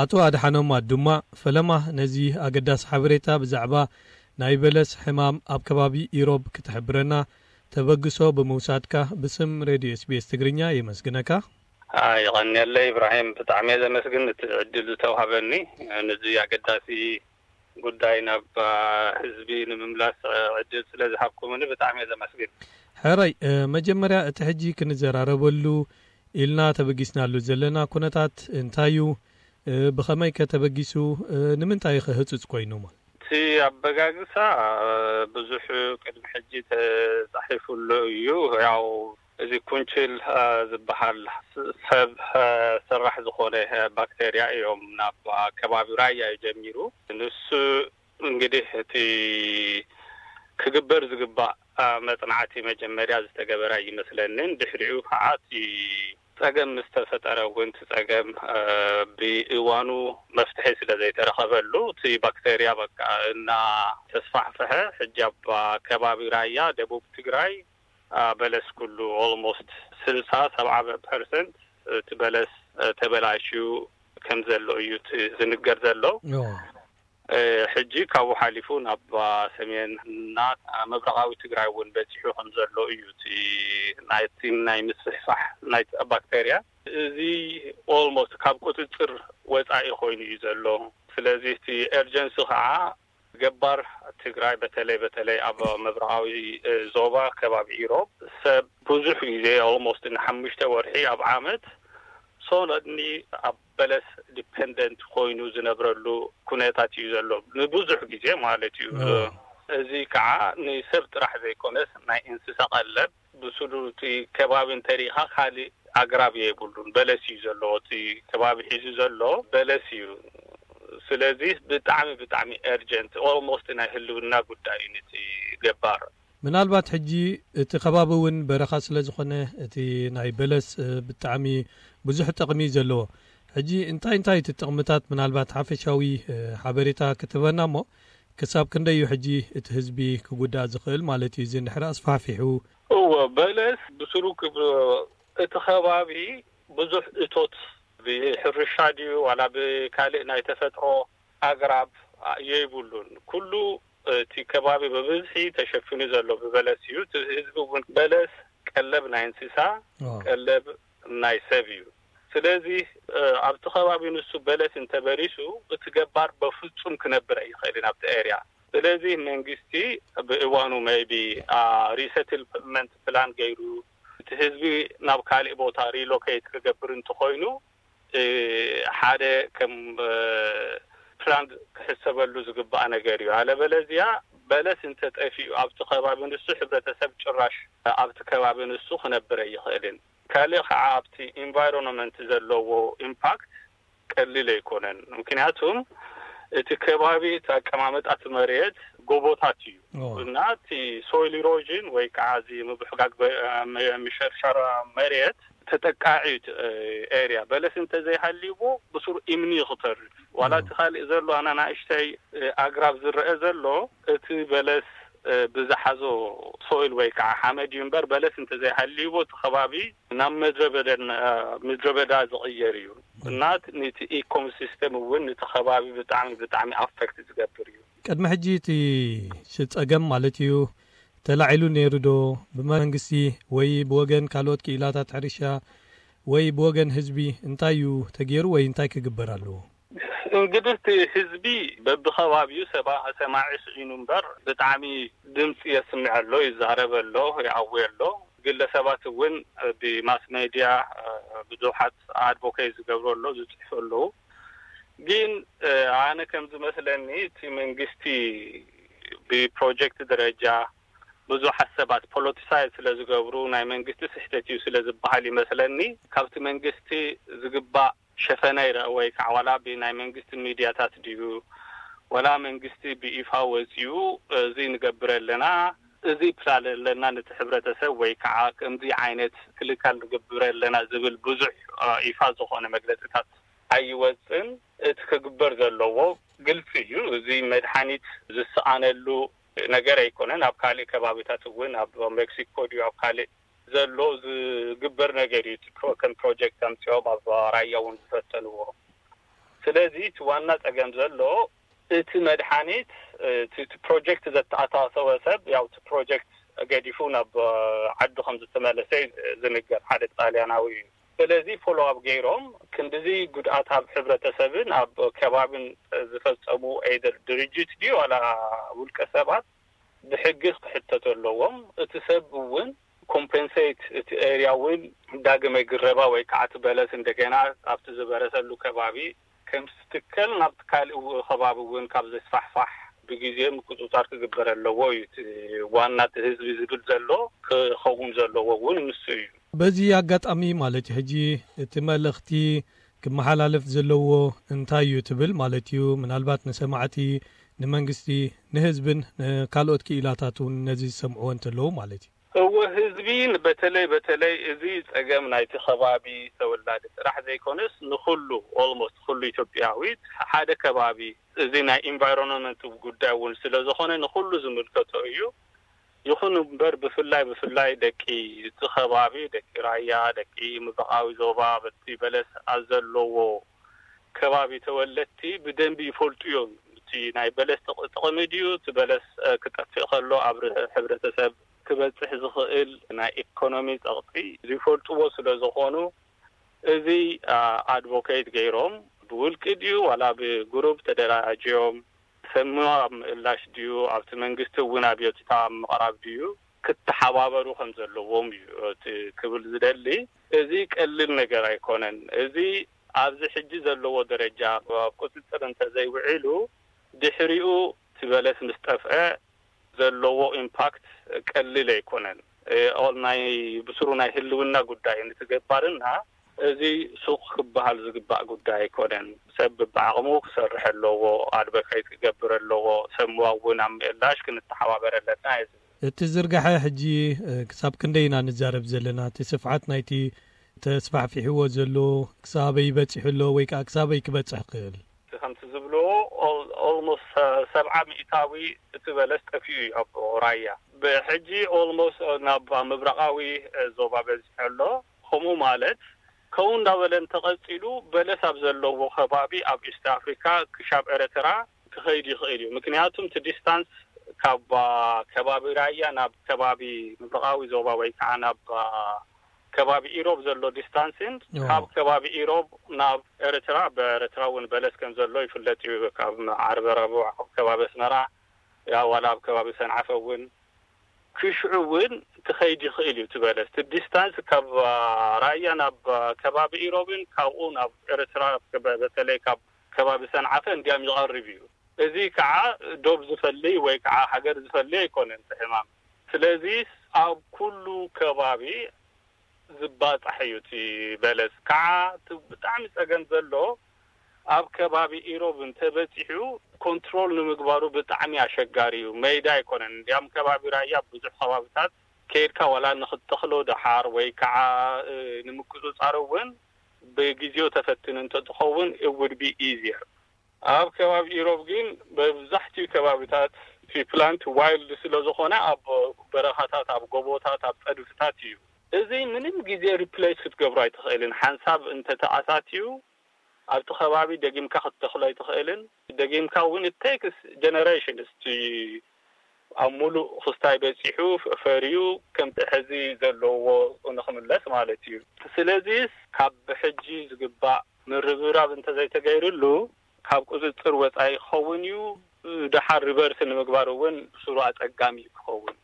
ኣቶ ኣድሓኖም ኣዱማ፣ ፈለማ ነዚ ኣገዳሲ ሓበሬታ ብዛዕባ ናይ በለስ ሕማም ኣብ ከባቢ ኢሮብ ክትሕብረና ተበግሶ ብምውሳድካ ብስም ሬድዮ ኤስቢኤስ ትግርኛ የመስግነካ። ኣይ፣ ይቐንየለይ ኢብራሂም፣ ብጣዕሚ እየ ዘመስግን እቲ ዕድል ዝተውሃበኒ፣ ነዚ ኣገዳሲ ጉዳይ ናብ ህዝቢ ንምምላስ ዕድል ስለ ዝሃብኩምኒ ብጣዕሚ እየ ዘመስግን። ሕራይ፣ መጀመርያ እቲ ሕጂ ክንዘራረበሉ ኢልና ተበጊስናሉ ዘለና ኩነታት እንታይ እዩ? ብኸመይ ከ ተበጊሱ? ንምንታይ ከ ህጹጽ ኮይኑ? እቲ ኣበጋግሳ ብዙሕ ቅድሚ ሕጂ ተጻሒፉሉ እዩ። ያው እዚ ኩንችል ዝበሃል ሰብ ሰራሕ ዝኾነ ባክቴርያ እዮም ናብ ከባቢ ራያ እዩ ጀሚሩ። ንሱ እንግዲህ እቲ ክግበር ዝግባእ መጽናዕቲ መጀመርያ ዝተገበረ ይመስለንን ድሕሪኡ ከዓ እቲ ጸገም ምስ ተፈጠረ እውን እቲ ጸገም ብእዋኑ መፍትሒ ስለ ዘይተረኸበሉ እቲ ባክቴርያ በቃ እና ተስፋሕፈሐ ሕጂ ኣብ ከባቢ ራያ ደቡብ ትግራይ በለስ ኩሉ ኦልሞስት ስልሳ ሰብዓ ፐርሰንት እቲ በለስ ተበላሽዩ ከም ዘሎ እዩ ዝንገር ዘሎ። ሕጂ ካብኡ ሓሊፉ ናብ ሰሜን እና ምብራቓዊ ትግራይ እውን በፂሑ ከም ዘሎ እዩ እቲ ናይቲ ናይ ምስፍሕፋሕ ናይ ባክቴርያ። እዚ ኦልሞስት ካብ ቁፅፅር ወፃኢ ኮይኑ እዩ ዘሎ። ስለዚ እቲ ኤርጀንሲ ከዓ ገባር ትግራይ በተለይ በተለይ ኣብ ምብራቓዊ ዞባ ከባቢ ኢሮብ ሰብ ብዙሕ ግዜ ኦልሞስት ንሓሙሽተ ወርሒ ኣብ ዓመት ሶለድኒ ኣብ በለስ ዲፐንደንት ኮይኑ ዝነብረሉ ኩነታት እዩ ዘሎ ንብዙሕ ግዜ ማለት እዩ። እዚ ከዓ ንሰብ ጥራሕ ዘይኮነስ ናይ እንስሳ ቀለብ ብስሉ እቲ ከባቢ እንተሪኢኻ ካልእ ኣግራብ የብሉን በለስ እዩ ዘለዎ። እቲ ከባቢ ሒዙ ዘሎ በለስ እዩ። ስለዚ ብጣዕሚ ብጣዕሚ ኤርጀንት ኦልሞስት ናይ ህልውና ጉዳይ እዩ ነቲ ገባር። ምናልባት ሕጂ እቲ ከባቢ እውን በረኻ ስለ ዝኾነ እቲ ናይ በለስ ብጣዕሚ ብዙሕ ጥቕሚ እዩ ዘለዎ። ሕጂ እንታይ እንታይ እቲ ጥቕምታት ምናልባት ሓፈሻዊ ሓበሬታ ክትበና እሞ ክሳብ ክንደይ እዩ ሕጂ እቲ ህዝቢ ክጉዳእ ዝኽእል ማለት እዩ እዚ እንድሕር ኣስፋሕፊሑ? እወ በለስ ብስሩ እቲ ከባቢ ብዙሕ እቶት ብሕርሻ ድዩ ዋላ ብካልእ ናይ ተፈጥሮ ኣግራብ የይብሉን። ኩሉ እቲ ከባቢ ብብዝሒ ተሸፊኑ ዘሎ ብበለስ እዩ። እቲ ህዝቢ እውን በለስ ቀለብ ናይ እንስሳ ቀለብ ናይ ሰብ እዩ። ስለዚ ኣብቲ ከባቢ ንሱ በለስ እንተበሪሱ እቲ ገባር በፍጹም ክነብር ኣይኽእልን ኣብቲ ኤርያ። ስለዚ መንግስቲ ብእዋኑ maybe resettlement plan ገይሩ እቲ ህዝቢ ናብ ካልእ ቦታ relocate ክገብር እንተኾይኑ ሓደ ከም plan ክሕሰበሉ ዝግባእ ነገር እዩ። ኣለበለዚያ በለስ እንተጠፊኡ ኣብቲ ከባቢ ንሱ ሕብረተሰብ ጭራሽ ኣብቲ ከባቢ ንሱ ክነብር ኣይኽእልን። ካልእ ከዓ ኣብቲ environment ዘለዎ impact ቀሊል ኣይኮነን። ምክንያቱም እቲ ከባቢ እቲ ኣቀማምጣ እቲ መሬት ጎቦታት እዩ እና እቲ soil erosion ወይ ከዓ እዚ ምብሕጋግ ምሸርሻር መሬት ተጠቃዒ እዩ። ኤርያ በለስ እንተዘይሃልይዎ ብስሩ እምኒ እዩ ክተርፍ። ዋላ እቲ ካልእ ዘሎ ኣናናእሽተይ ኣግራብ ዝረአ ዘሎ እቲ በለስ ብዝሓዞ soil ወይ ከዓ ሓመድ እዩ እምበር በለስ እንተዘይሃልይዎ እቲ ከባቢ ናብ ምድረ በዳ ዝቕየር እዩ እና ነቲ ecosystem እውን ነቲ ከባቢ ብጣዕሚ ብጣዕሚ affect ዝገብር እዩ። ቅድሚ ሕጂ እቲ ጸገም ማለት እዩ ተላዒሉ ነይሩ ዶ ብመንግስቲ ወይ ብወገን ካልኦት ክኢላታት ሕርሻ ወይ ብወገን ህዝቢ እንታይ እዩ ተገይሩ ወይ እንታይ ክግበር ኣለዎ? እንግዲህ እቲ ህዝቢ በብኸባቢኡ ሰባ ሰማዒ ስዒኑ እምበር ብጣዕሚ ድምፂ የስምዕ ኣሎ፣ ይዛረብ ኣሎ፣ ይኣዊ ኣሎ። ግለሰባት እውን ብማስ ሜድያ ብዙሓት advocate ዝገብሩ ኣሎ፣ ዝፅሕፉ ኣለዉ። ግን ኣነ ከም ዝመስለኒ እቲ መንግስቲ ብፕሮጀክት ደረጃ ብዙሓት ሰባት politicize ስለ ዝገብሩ ናይ መንግስቲ ስሕተት እዩ ስለ ዝበሃል ይመስለኒ ካብቲ መንግስቲ ዝግባእ ሸፈነ ይረአ ወይ ከዓ ዋላ ብናይ መንግስቲ ሚድያታት ድዩ ዋላ መንግስቲ ብይፋ ወፂኡ እዚ ንገብር ኣለና እዚ ፕላን ኣለና ነቲ ሕብረተሰብ ወይ ከዓ ከምዚ ዓይነት ክልካል ንገብር ኣለና ዝብል ብዙሕ ይፋ ዝኾነ መግለፅታት ኣይወፅን። እቲ ክግበር ዘለዎ ግልፂ እዩ። እዚ መድሓኒት ዝሰኣነሉ ነገር ኣይኮነን። ኣብ ካልእ ከባቢታት እውን ኣብ ሜክሲኮ ድዩ ኣብ ካልእ ዘሎ ዝግበር ነገር እዩ። ከም ፕሮጀክት ኣምፂኦም ኣብ ራያ እውን ዝፈተንዎ። ስለዚ እቲ ዋና ጸገም ዘሎ እቲ መድሓኒት፣ እቲ ፕሮጀክት ዘተኣሳሰወ ሰብ ያው እቲ ፕሮጀክት ገዲፉ ናብ ዓዱ ከም ዝተመለሰ ዝንገር ሓደ ጣልያናዊ እዩ። ስለዚ ፎሎ ኣፕ ገይሮም ክንድዚ ጉድኣት ኣብ ሕብረተሰብን ኣብ ከባብን ዝፈጸሙ ኤደር ድርጅት ድዩ ዋላ ውልቀ ሰባት ብሕጊ ክሕተቱ ኣለዎም። እቲ ሰብ እውን ኮምፐንሴት እቲ ኤርያ እውን ዳግመ ግረባ ወይ ከዓ እቲ በለስ እንደገና ኣብቲ ዝበረሰሉ ከባቢ ከም ዝትከል ናብቲ ካልእ ከባቢ እውን ካብ ዘስፋሕፋሕ ብግዜ ምቁፅፃር ክግበር ኣለዎ እዩ። እቲ ዋና እቲ ህዝቢ ዝብል ዘሎ ክኸውን ዘለዎ እውን ንሱ እዩ። በዚ ኣጋጣሚ ማለት እዩ ሕጂ እቲ መልእኽቲ ክመሓላለፍ ዘለዎ እንታይ እዩ ትብል ማለት እዩ? ምናልባት ንሰማዕቲ፣ ንመንግስቲ፣ ንህዝብን ንካልኦት ክኢላታት እውን ነዚ ዝሰምዕዎ እንተለዉ ማለት እዩ። እወ ህዝቢ በተለይ በተለይ እዚ ጸገም ናይቲ ከባቢ ተወላዲ ጥራሕ ዘይኮነስ ንኹሉ ኦልሞስት ኩሉ ኢትዮጵያዊ ሓደ ከባቢ እዚ ናይ ኢንቫይሮንመንት ጉዳይ እውን ስለ ዝኾነ ንኹሉ ዝምልከቶ እዩ። ይኹን እምበር ብፍላይ ብፍላይ ደቂ እቲ ከባቢ ደቂ ራያ ደቂ ምብራቓዊ ዞባ በቲ በለስ ኣብ ዘለዎ ከባቢ ተወለድቲ ብደንቢ ይፈልጡ እዮም። እቲ ናይ በለስ ጥቕ- ጥቕሚ ድዩ እቲ በለስ እ፣ ክጠፍእ ከሎ ኣብ ር- ሕብረተሰብ ክበፅሕ ዝኽእል ናይ ኢኮኖሚ ፀቕጢ ዝፈልጥዎ ስለ ዝኾኑ እዚ ኣድቮኬት ገይሮም ብውልቂ ድዩ ዋላ ብግሩፕ ተደራጅዮም ሰምዋ ኣብ ምእላሽ ድዩ ኣብቲ መንግስቲ እውን ኣብዮትታ ኣብ ምቕራብ ድዩ ክተሓባበሩ ከም ዘለዎም እዩ እቲ ክብል ዝደሊ። እዚ ቀሊል ነገር ኣይኮነን። እዚ ኣብዚ ሕጂ ዘለዎ ደረጃ ኣብ ቁፅፅር እንተዘይውዒሉ ድሕሪኡ እቲ በለስ ምስ ጠፍአ ዘለዎ ኢምፓክት ቀሊል ኣይኮነን። ኦል ናይ ብስሩ ናይ ህልውና ጉዳይ ንትገባርና እዚ ሱቕ ክበሃል ዝግባእ ጉዳይ ኣይኮነን። ሰብ ብዓቕሙ ክሰርሕ ኣለዎ፣ ኣድቮኬት ክገብር ኣለዎ፣ ሰምዋ እውን ኣብ ምእላሽ ክንተሓባበር ኣለና። እዚ እቲ ዝርጋሐ ሕጂ ክሳብ ክንደይ ኢና ንዛረብ ዘለና? እቲ ስፍሓት ናይቲ ተስፋሕፊሕዎ ዘሎ ክሳበይ በፂሑ ኣሎ ወይ ከዓ ክሳበይ ክበፅሕ ክእል? ከምቲ ዝብልዎ ኦልሞስት ሰብዓ ሚእታዊ እቲ በለስ ጠፊኡ እዩ ኣብ ራያ። ብሕጂ ኦልሞስት ናብ ምብራቓዊ ዞባ በዚሑ ኣሎ። ከምኡ ማለት ከምኡ እንዳበለ እንተቐፂሉ በለስ ኣብ ዘለዎ ከባቢ ኣብ ኢስት ኣፍሪካ ክሻብ ኤረትራ ክኸይድ ይኽእል እዩ። ምክንያቱም እቲ ዲስታንስ ካብ ከባቢ ራያ ናብ ከባቢ ምብራቓዊ ዞባ ወይ ከዓ ናብ ከባቢ ኢሮብ ዘሎ ዲስታንስን ካብ ከባቢ ኢሮብ ናብ ኤርትራ ብኤርትራ እውን በለስ ከም ዘሎ ይፍለጥ እዩ። ካብ ዓርበ ረቡዕ ኣብ ከባቢ ኣስመራ ያ ዋላ ኣብ ከባቢ ሰንዓፈ እውን ክሽዑ እውን ክኸይድ ይኽእል እዩ። እቲ በለስ እቲ ዲስታንስ ካብ ራያ ናብ ከባቢ ኢሮብን ካብኡ ናብ ኤርትራ በተለይ ካብ ከባቢ ሰንዓፈ እንዲያም ይቐርብ እዩ። እዚ ከዓ ዶብ ዝፈሊ ወይ ከዓ ሃገር ዝፈሊ ኣይኮነን እቲ ሕማም። ስለዚ ኣብ ኩሉ ከባቢ ዝባፃሕ እዩ እቲ በለስ። ከዓ እቲ ብጣዕሚ ፀገም ዘሎ ኣብ ከባቢ ኢሮብ እንተበፂሑ ኮንትሮል ንምግባሩ ብጣዕሚ ኣሸጋሪ እዩ። መይዳ ኣይኮነን። እንዲያም ከባቢ ራያ ብዙሕ ከባብታት ከይድካ ዋላ ንክትተኽሎ ደሓር ወይ ከዓ ንምቁፅፃር እውን ብግዜው ተፈትን እንተትኸውን it would be easier። ኣብ ከባቢ ኢሮብ ግን መብዛሕትኡ ከባብታት እቲ ፕላንት ዋይልድ ስለ ዝኾነ ኣብ በረኻታት፣ ኣብ ጎቦታት፣ ኣብ ፀድፍታት እዩ። እዚ ምንም ግዜ ሪፕሌስ ክትገብሮ ኣይትኽእልን። ሓንሳብ እንተተኣታትዩ ኣብቲ ከባቢ ደጊምካ ክትተኽሎ ኣይትኽእልን። ደጊምካ እውን it takes generations እቲ ኣብ ሙሉእ ክስታይ በፂሑ ፈርዩ ከምቲ ሕዚ ዘለዎ ንክምለስ ማለት እዩ። ስለዚስ ካብ ብሕጂ ዝግባእ ምርብራብ እንተዘይተገይርሉ ካብ ቁፅፅር ወፃኢ ክኸውን እዩ። ደሓር ሪቨርስ ንምግባር እውን ብስሩ ኣፀጋሚ እዩ ክኸውን።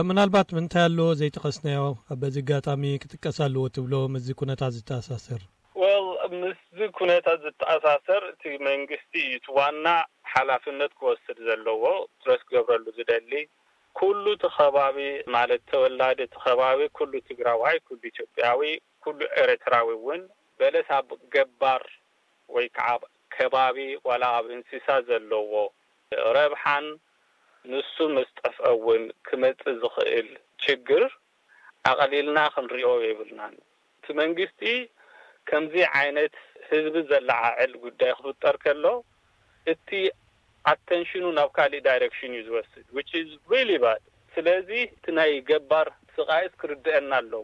ምናልባት ምንታይ ኣሎ ዘይጠቐስናዮ በዚ ኣጋጣሚ ክጥቀስ ኣለዎ ትብሎ ምስዚ ኩነታት ዝተኣሳሰር? ወል ምስዚ ኩነታት ዝተኣሳሰር እቲ መንግስቲ እዩ እቲ ዋና ሓላፍነት ክወስድ ዘለዎ፣ ትረስ ክገብረሉ ዝደሊ ኩሉ እቲ ከባቢ ማለት ተወላዲ እቲ ከባቢ ኩሉ ትግራዋይ ኩሉ ኢትዮጵያዊ ኩሉ ኤርትራዊ እውን በለስ ኣብ ገባር ወይ ከዓ ከባቢ ዋላ ኣብ እንስሳ ዘለዎ ረብሓን ንሱ ምስ ጠፍአ እውን ክመፅእ ዝኽእል ችግር ኣቐሊልና ክንሪኦ የብልናን። እቲ መንግስቲ ከምዚ ዓይነት ህዝቢ ዘለዓዕል ጉዳይ ክፍጠር ከሎ እቲ ኣተንሽኑ ናብ ካሊእ ዳይሬክሽን እዩ ዝወስድ which is really bad። ስለዚ እቲ ናይ ገባር ስቓይስ ክርድአና ኣለዎ።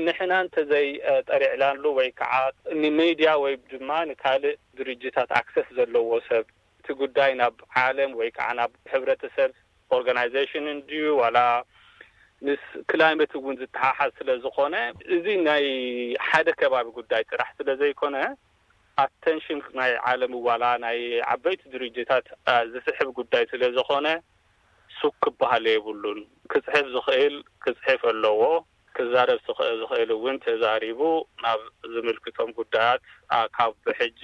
ንሕና እንተዘይ ጠሪዕናሉ ወይ ከዓ ንሜድያ ወይ ድማ ንካልእ ድርጅታት ኣክሰስ ዘለዎ ሰብ እቲ ጉዳይ ናብ ዓለም ወይ ከዓ ናብ ሕብረተሰብ ኦርጋናይዜሽን እንድዩ ዋላ ምስ ክላይመት እውን ዝተሓሓዝ ስለ ዝኾነ፣ እዚ ናይ ሓደ ከባቢ ጉዳይ ጥራሕ ስለ ዘይኮነ፣ ኣተንሽን ናይ ዓለም ዋላ ናይ ዓበይቲ ድርጅታት ዝስሕብ ጉዳይ ስለ ዝኾነ፣ ሱክ ክበሃል የብሉን። ክፅሕፍ ዝኽእል ክፅሕፍ ኣለዎ። ክዛረብ ዝኽእል እውን ተዛሪቡ ናብ ዝምልክቶም ጉዳያት ካብ ሕጂ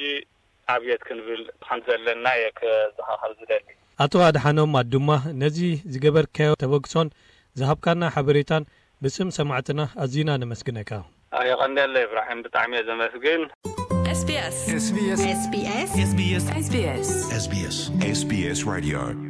ኣብየት ክንብል ከም ዘለና እየ ክዘኻኸር ዝደሊ። ኣቶ ኣድሓኖም ኣዱማ፣ ነዚ ዝገበርካዮ ተበግሶን ዝሃብካና ሓበሬታን ብስም ሰማዕትና ኣዚና ነመስግነካ። የቐንየለ ኢብራሂም፣ ብጣዕሚ እየ ዘመስግን። SBS SBS SBS SBS SBS SBS Radio